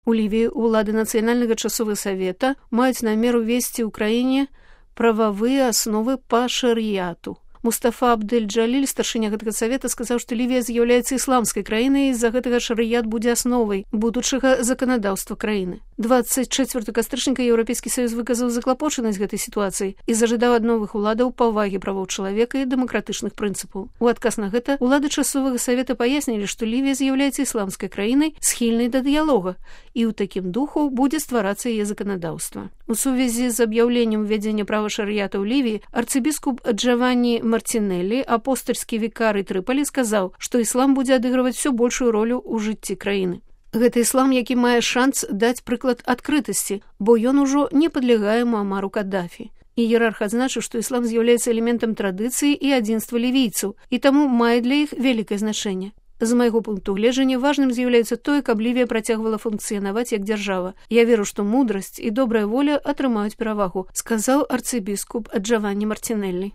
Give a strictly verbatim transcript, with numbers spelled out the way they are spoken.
У Лівіі ўлады Нацыянальнага часовага савета маюць намер увесці ў краіне прававыя асновы па шарыяту. Мустафа Абдель-Джаліль, старшыня гэтага савета, сказаў, што Лівія з'яўляецца ісламскай краінай, і з-за гэтага шарыят будзе асновай будучага заканадаўства краіны. дваццаць чацвёртага кастрычніка Еўрапейскі саюз выказаў заклапочанасць гэтай сітуацыі і зажадаў ад новых уладаў павагі правоў чалавека і дэмакратычных прынцыпаў. У адказ на гэта улады часовага савета паяснілі, што Лівія з'яўляецца ісламскай краінай, схільнай да дыялога, і ў такім духу будзе стварацца яе заканадаўства. У сувязі з аб'яўленнем увядзення права шарыята ў Лівіі арцыбіскуп Джаванні Мартинеллі, апостальскі вікарый Трыполі, сказаў, што іслам будзе адыгрываць усё большую ролю ў жыцці краіны. Гэта іслам, які мае шанс даць прыклад адкрытасці, бо ён ужо не падлягае Муамару Каддафі. Іерарх адзначыў, што іслам з'яўляецца элементам традыцыі і адзінства лівійцаў, і таму мае для іх вялікае значэнне. З майго пункту гледжання важным з'яўляецца тое, каб Лівія працягвала функцыянаваць як дзяржава. Я веру, што мудрасць і добрая воля атрымаюць перавагу, сказаў арцыбіскуп Джаванні Мартинеллі.